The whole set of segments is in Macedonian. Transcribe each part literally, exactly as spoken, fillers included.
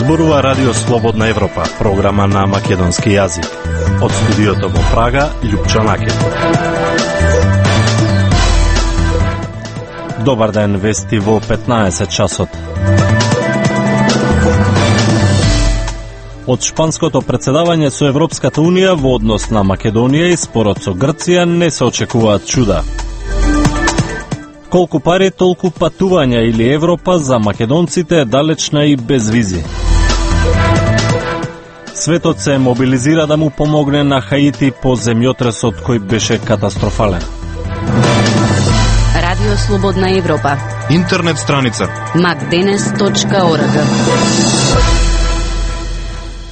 Зборува Радио Слободна Европа, програма на македонски јазик. Од студиото во Прага, Љупчо Накет. Добар ден, вести во петнаесет часот. Од шпанското председавање со Европската Унија во однос на Македонија и спорот со Грција не се очекуваат чуда. Колку пари, толку патувања или Европа за македонците е далечна и без визи. Светот се мобилизира да му помогне на Хаити по земјотресот кој беше катастрофален. Радио Слободна Европа. Интернет страница макденес точка орг.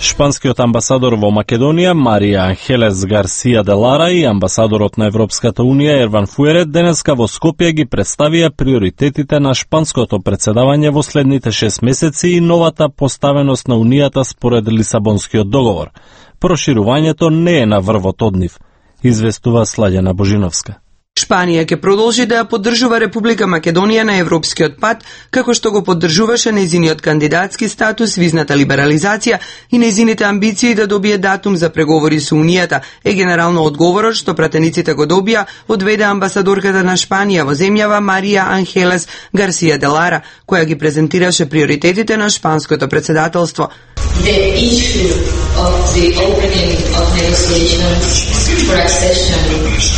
Шпанскиот амбасадор во Македонија Марија Анхелес Гарсија де Лара и амбасадорот на Европската Унија Ерван Фуерет денеска во Скопје ги представија приоритетите на шпанското председавање во следните шест месеци и новата поставеност на Унијата според Лисабонскиот договор. Проширувањето не е на врвот од нив, известува Слаѓана Божиновска. Шпанија ќе продолжи да ја поддржува Република Македонија на европскиот пат, како што го поддржуваше нејзиниот кандидатски статус, визната либерализација и нејзините амбиции да добие датум за преговори со Унијата, е генерално одговорот што пратениците го добија, одведе амбасадорката на Шпанија во земјава Марија Анхелес Гарсија де Лара, која ги презентираше приоритетите на шпанското председателство. The issue of the opening of negotiations for accession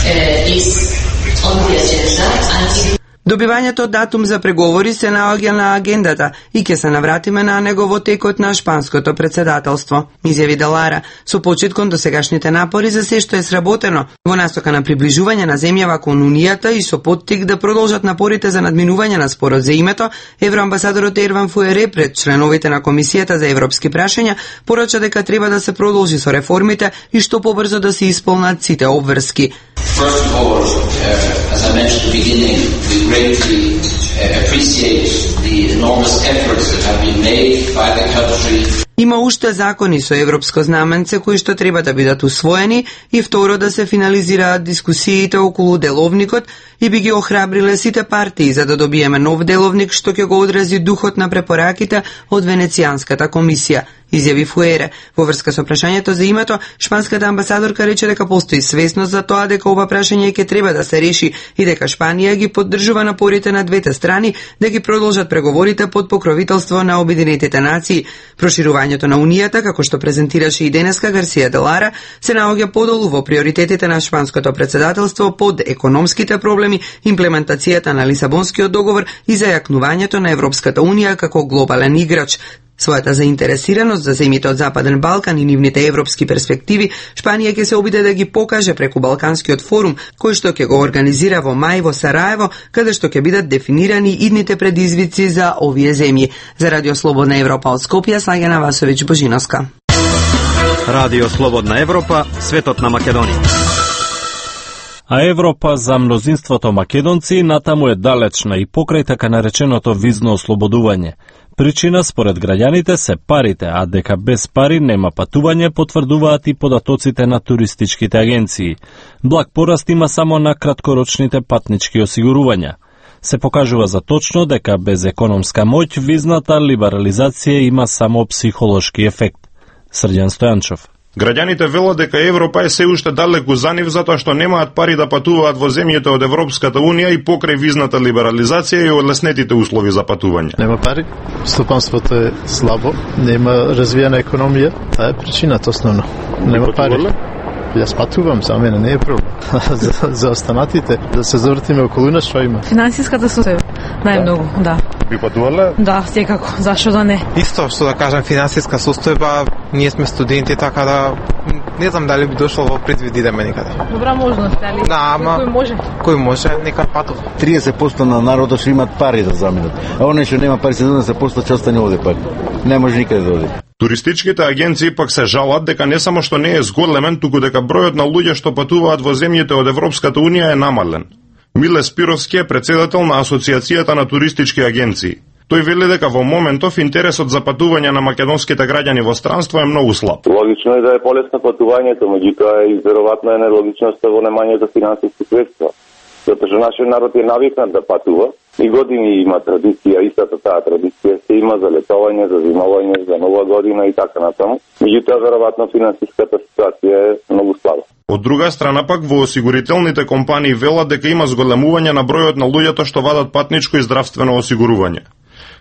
uh, is on the agenda and Добивањето датум за преговори се наоѓа на агендата и ќе се навратиме на него во текот на шпанското председателство, изјави Делара, со почит кон досегашните напори за се што е сработено во насока на приближување на земјава кон Унијата и со поттик да продолжат напорите за надминување на спорот за името. Евроамбасадорот Ерван Фуере пред членовите на Комисијата за европски прашања порача дека треба да се продолжи со реформите и што побрзо да се исполнат сите обврски. First of all, uh, as I mentioned at the beginning, we greatly uh, appreciate the enormous efforts that have been made by the country. Има уште закони со европско знаменце кои што треба да бидат усвоени и второ да се финализираат дискусиите околу деловникот и би ги охрабриле сите партии за да добиеме нов деловник што ќе го одрази духот на препораките од Венецијанската комисија, изјави Фуере. Во врска со прашањето за името, шпанската амбасадорка рече дека постои свесност за тоа дека ова прашање ќе треба да се реши и дека Шпанија ги поддржува напорите на двете страни да ги продолжат преговорите под покровителство на Обединетите нации. Проширувањето на Унијата, како што презентираше и денеска Гарсија де Лара, се наоѓа подолу во приоритетите на шпанското председателство под економските проблеми, имплементацијата на Лисабонскиот договор и зајакнувањето на Европската Унија како глобален играч. Својата заинтересираност за земјите од Западен Балкан и нивните европски перспективи, Шпанија ќе се обиде да ги покаже преку Балканскиот форум, кој што ќе го организира во мај во Сараево, каде што ќе бидат дефинирани идните предизвици за овие земји. За Радио Слободна Европа од Скопје, Слаѓана Васовиќ Божиновска. Радио Слободна Европа, светот на Македонија. А Европа за мнозинството македонци натаму е далечна и покрај така нареченото визно ослободување. Причина според граѓаните се парите, а дека без пари нема патување, потврдуваат и податоците на туристичките агенции. Благ пораст има само на краткорочните патнички осигурувања. Се покажува за точно дека без економска моќ визната либерализација има само психолошки ефект. Срđan Стојанчов. Граѓаните велат дека Европа е се уште далеку за нив затоа што немаат пари да патуваат во земјите од Европската Унија и покрај визната либерализација и олеснетите услови за патување. Нема пари, стопанството е слабо, нема развиена економија, таа е причината основно. Нема пари. Јас патувам, за мене не е проблем. за, за останатите, да се завртиме околу нас, што има? Финансиската состојба, најмногу, да. Би патувале? Да, секако, зашо да не? Исто, што да кажам, финансиска состојба, ние сме студенти, така да не знам дали би дошло во предвид идеме некаде. Добра можност, али? Да, ама кој може? Кој може, нека патува. триесет проценти на народот што имаат пари да заминат. А оној што нема пари, седемдесет проценти ќе остане овде пари. Не може никаде да оди. Туристичките агенции пак се жалат дека не само што не е зголемен, туку дека бројот на луѓе што патуваат во земјите од Европската Унија е намален. Миле Спировски е председател на Асоциацијата на туристички агенции. Тој вели дека во моментов интересот за патување на македонските граѓани во странство е многу слаб. Логично е да е полесно патувањето, меѓутоа и веројатно е нелогичноста во немањето финансиски средства. затоа што нашиот народ е навикнат да патува и години има традиција, истата таа традиција се има за летување, за зимување, за нова година и така натаму. Меѓутоа, веројатно финансиската ситуација е многу слаба. Од друга страна пак во осигурителните компании велат дека има зголемување на бројот на луѓето што вадат патничко и здравствено осигурување.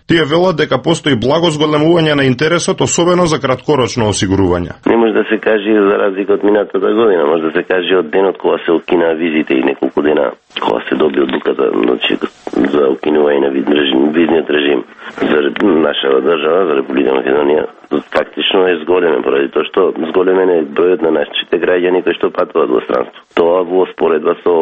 Тие велат дека постои благо зголемување на интересот, особено за краткорочно осигурување. Не може да се каже за разлика од минатата година, може да се каже од денот кога се укина визите и неколку дена кога се доби одлуката, значи за укинување на визниот режим за нашата држава, за Република Македонија. Фактично е зголемен, поради тоа што зголемен е бројот на нашите граѓани кои што патуваат во странство. Тоа во споредба со,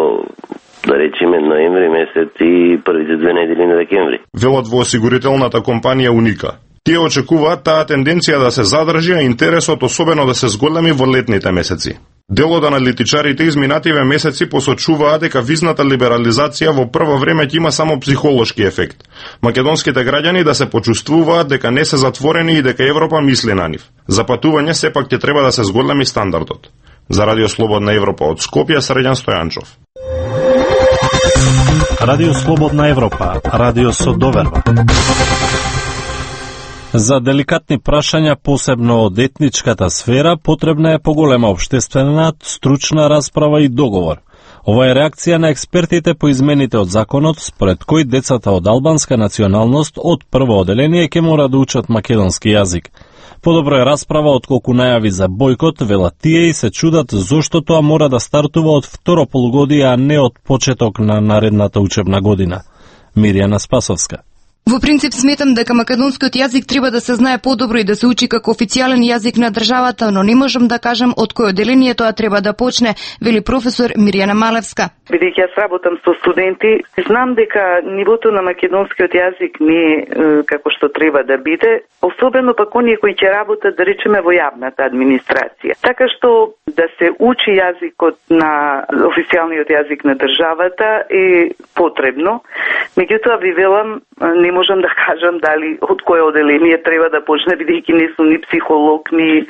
да речеме, ноември месец и првите две недели на декември. Велат во осигурителната компанија Уника. Тие очекуваат таа тенденција да се задржи, а интересот особено да се зголеми во летните месеци. Дел од аналитичарите изминативе месеци посочуваат дека визната либерализација во прво време ќе има само психолошки ефект. Македонските граѓани да се почувствуваат дека не се затворени и дека Европа мисли на нив. За патување сепак ќе треба да се зголеми стандардот. За Радио Слободна Европа од Скопје, Средјан Стојанчов. Радио Слободна Европа, радио со доверба. За деликатни прашања, посебно од етничката сфера, потребна е поголема општествена, стручна расправа и договор. Ова е реакција на експертите по измените од законот, според кој децата од албанска националност од прво оделение ќе мора да учат македонски јазик. Подобро е расправа отколку најави за бојкот, велат тие и се чудат зошто тоа мора да стартува од второ полугодие, а не од почеток на наредната учебна година. Мирјана Спасовска. Во принцип сметам дека македонскиот јазик треба да се знае подобро и да се учи како официјален јазик на државата, но не можам да кажам од кој оделение тоа треба да почне, вели професор Мирјана Малевска. Бидејќи јас работам со студенти, знам дека нивото на македонскиот јазик не е како што треба да биде, особено пак оние кои ќе работат, да речеме, во јавната администрација. Така што да се учи јазикот на официјалниот јазик на државата е потребно. Меѓутоа ви велам, не можам да кажам дали од кое оделение треба да почне, бидејќи не сум ни психолог, ни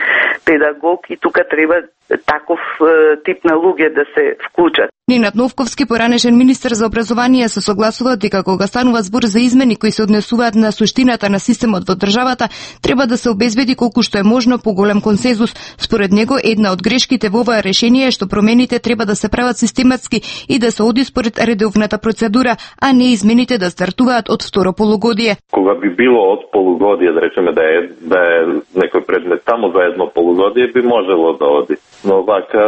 педагог и тука треба таков е, тип на луѓе да се вклучат. Ненад Новковски, поранешен министер за образование, се согласува дека кога станува збор за измени кои се однесуваат на суштината на системот во државата, треба да се обезбеди колку што е можно поголем консензус. Според него, една од грешките во оваа решение е што промените треба да се прават систематски и да се оди според редовната процедура, а не измените да стартуваат од второ полугодие. Кога би било од полугодие, да речеме да е, да е некој предмет само за едно полугодие, би можело да оди. Но вака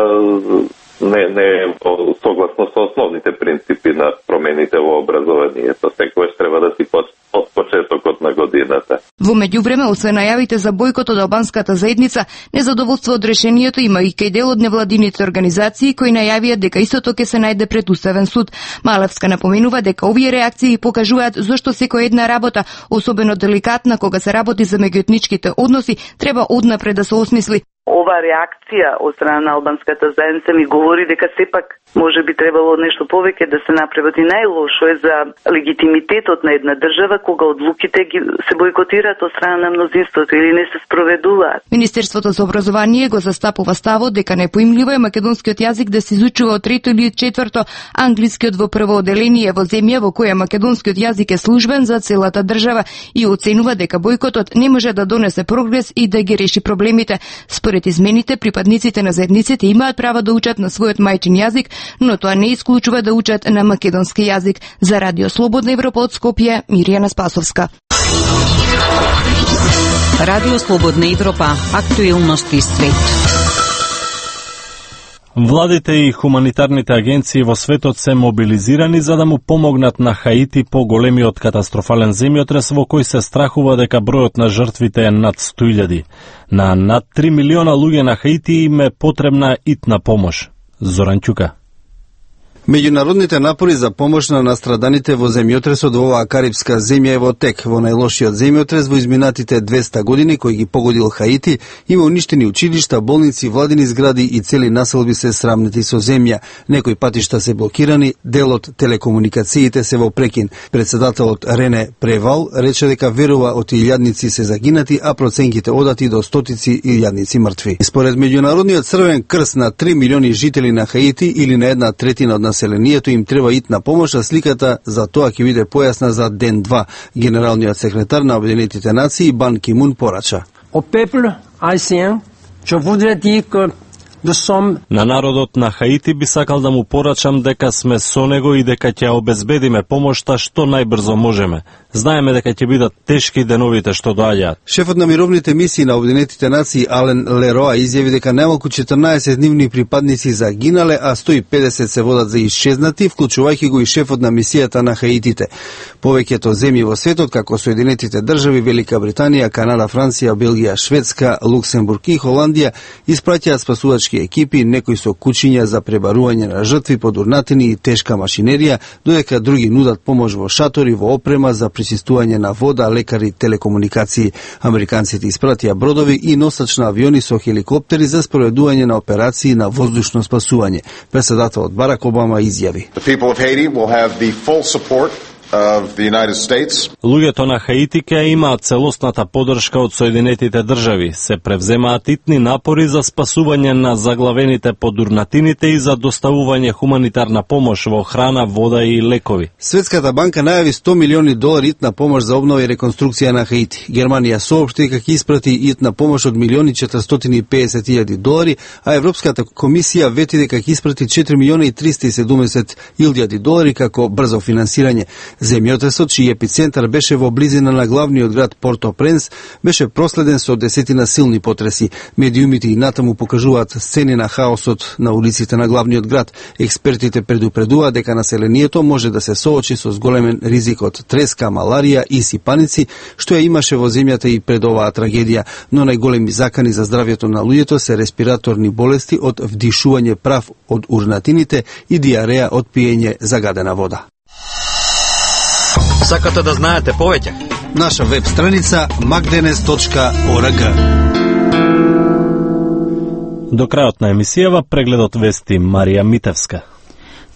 не, не е согласно со основните принципи на промените во образованието. Секојаш треба да си од почетокот на годината. Во меѓувреме, освен најавите за бојкот од албанската заедница, незадоволство од решението има и кај дел од невладините организации кои најавија дека истото ќе се најде пред Уставен суд. Малевска напоменува дека овие реакции покажуваат зошто секоја една работа, особено деликатна кога се работи за меѓуетничките односи, треба однапред да се осмисли. Ова реакција од страна на албанската заедница ми говори дека сепак може би требало нешто повеќе да се направи. Најлошо е за легитимитетот на една држава кога одлуките ги се бојкотираат од страна на мнозинството или не се спроведуваат. Министерството за образование го застапува ставот дека непоимливо е македонскиот јазик да се изучува од трето или четврто, англискиот во прво оделение во земја во која македонскиот јазик е службен за целата држава и оценува дека бојкотот не може да донесе прогрес и да ги реши проблемите. Според измените, припадниците на заедниците имаат право да учат на својот мајчин јазик, но тоа не исклучува да учат на македонски јазик. За Радио Слободна Европа од Скопје, Мирјана Спасовска. Радио Слободна Европа, актуелности свет. Владите и хуманитарните агенции во светот се мобилизирани за да му помогнат на Хаити по големиот катастрофален земјотрес во кој се страхува дека бројот на жртвите е над сто илјади. На над три милиона луѓе на Хаити им е потребна итна помош. Зоран Ќука. Меѓународните напори за помош на настраданите во земјотресот во оваа карипска земја е во тек. Во најлошиот земјотрес во изминатите двеста години кој ги погодил Хаити, има уништени училишта, болници, владини згради и цели населби се срамнети со земја. Некои патишта се блокирани, дел од телекомуникациите се во прекин. Председателот Рене Превал рече дека верува од илјадници се загинати, а проценките одати до стотици илјадници мртви. Според Меѓународниот црвен крст на три милиони жители на Хаити или на една третина од населението им треба итна помош, а сликата за тоа ќе биде појасна за ден два. Генералниот секретар на Обединетите нации Бан Ки Мун порача. Au peuple haïtien, je voudrais dire que На народот на Хаити би сакал да му порачам дека сме со него и дека ќе обезбедиме помошта што најбрзо можеме. Знаеме дека ќе бидат тешки деновите што доаѓаат. Шефот на мировните мисии на Обединетите нации Ален Лероа изјави дека најмалку четрнаесет нивни припадници загинале, а сто и педесет се водат за исчезнати, вклучувајќи го и шефот на мисијата на Хаитите. Повеќето земји во светот, како Соединетите држави, Велика Британија, Канада, Франција, Белгија, Шведска, Луксембург и Холандија испраќаат спасувачки екипи, некои со кучиња за пребарување на жртви, подурнатини и тешка машинерија, додека други нудат помош во шатори, во опрема за причистување на вода, лекари, телекомуникации. Американците испратија бродови и носач на авиони со хеликоптери за спроведување на операции на воздушно спасување. Председателот Барак Обама изјави: Луѓето на Хаити ќе имаат целосната поддршка од Соединетите држави. Се превземаат итни напори за спасување на заглавените подурнатините и за доставување хуманитарна помош во храна, вода и лекови. Светската банка најави сто милиони долари итна помош за обнова и реконструкција на Хаити. Германија соопшти дека ќе испрати итна помош од милиони четиристотини и педесет илјади долари, а Европската комисија вети дека ќе испрати четири милиони и триста и седумдесет илјади долари како брзо финансирање. Земјотресот, чиј епицентар беше во близина на главниот град Порто-Пренс, беше проследен со десетина силни потреси. Медиумите и натаму покажуваат сцени на хаосот на улиците на главниот град. Експертите предупредуваат дека населението може да се соочи со зголемен ризик од треска, маларија и сипаници, што ја имаше во земјата и пред оваа трагедија, но најголеми закани за здравјето на луѓето се респираторни болести од вдишување прав од урнатините и диареја од пиење загадена вода. Сакате да знаете повеќе? Наша веб страница макденес точка орг. До крајот на емисијава прегледот вести Марија Митевска.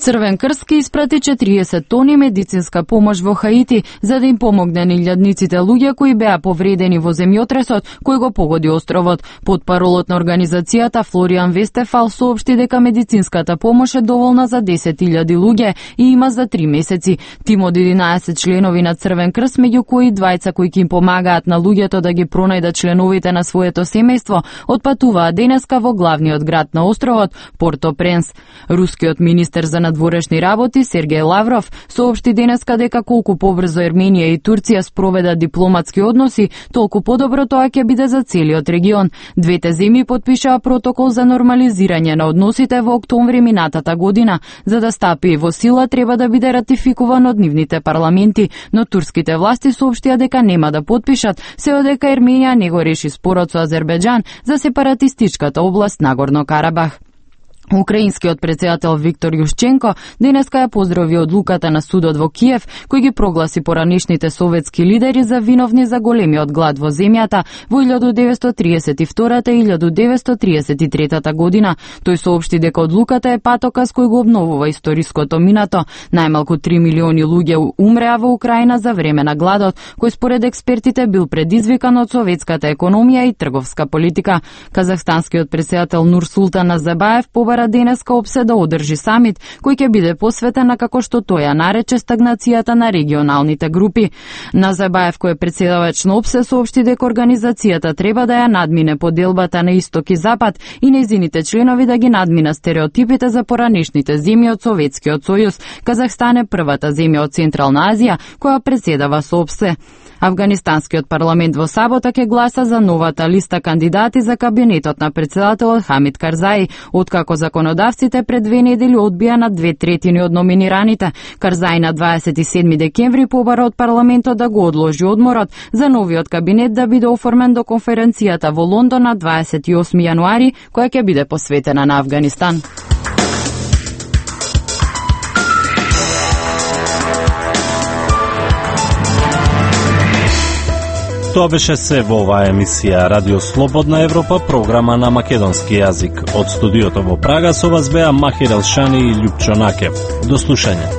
Црвен крст ке испрати четириесет тони медицинска помош во Хаити за да им помогне на илјадниците луѓе кои беа повредени во земјотресот кој го погоди островот. Потпаролот на организацијата Флориан Вестефал соопшти дека медицинската помош е доволна за десет илјади луѓе и има за три месеци. Тим од единаесет членови на Црвен крст, меѓу кои двајца кои ќе им помагаат на луѓето да ги пронајдат членовите на своето семејство, отпатуваа денеска во главниот град на островот Порто-Пренс. Рускиот министер за надворешни работи Сергеј Лавров соопшти денеска дека колку побрзо Ерменија и Турција спроведат дипломатски односи, толку подобро тоа ќе биде за целиот регион. Двете земји потпишаа протокол за нормализирање на односите во октомври минатата година. За да стапи во сила треба да биде ратификуван од нивните парламенти, но турските власти соопштија дека нема да потпишат се одека Ерменија не го реши спорот со Азербејџан за сепаратистичката област Нагорно Карабах. Украинскиот председател Виктор Јушченко денеска ја поздрави одлуката на судот во Киев, кој ги прогласи поранешните советски лидери за виновни за големиот глад во земјата во илјаду деветстотини триесет и втората и илјаду деветстотини триесет и третата година. Тој соопшти дека одлуката е патоказ кој го обновува историското минато. Најмалку три милиони луѓе умреа во Украина за време на гладот, кој според експертите бил предизвикан од советската економија и трговска политика. Казахстанскиот председател Нурсултан Назарбаев побара денеска опсе да одржи самит кој ќе биде посветен на, како што тој ја нарече, стагнацијата на регионалните групи. Назарбаев, кој е председавач на опсе, соопшти дека организацијата треба да ја надмине поделбата на исток и запад и нејзините членови да ги надмина стереотипите за поранешните земји од Советскиот сојуз. Казахстан е првата земја од Централна Азија која председава со опсе. Афганистанскиот парламент во сабота ќе гласа за новата листа кандидати за кабинетот на председателот Хамид Карзаи, откако законодавците пред две недели одбија на две третини од номинираните. Карзаи на дваесет и седми декември побара од парламентот да го одложи одморот за новиот кабинет да биде оформен до конференцијата во Лондон на дваесет и осми јануари, која ќе биде посветена на Афганистан. Тоа беше се во оваа емисија Радио Слободна Европа, програма на македонски јазик. Од студиото во Прага со вас беа Махир Елшани и Љупчо Накев. До слушање.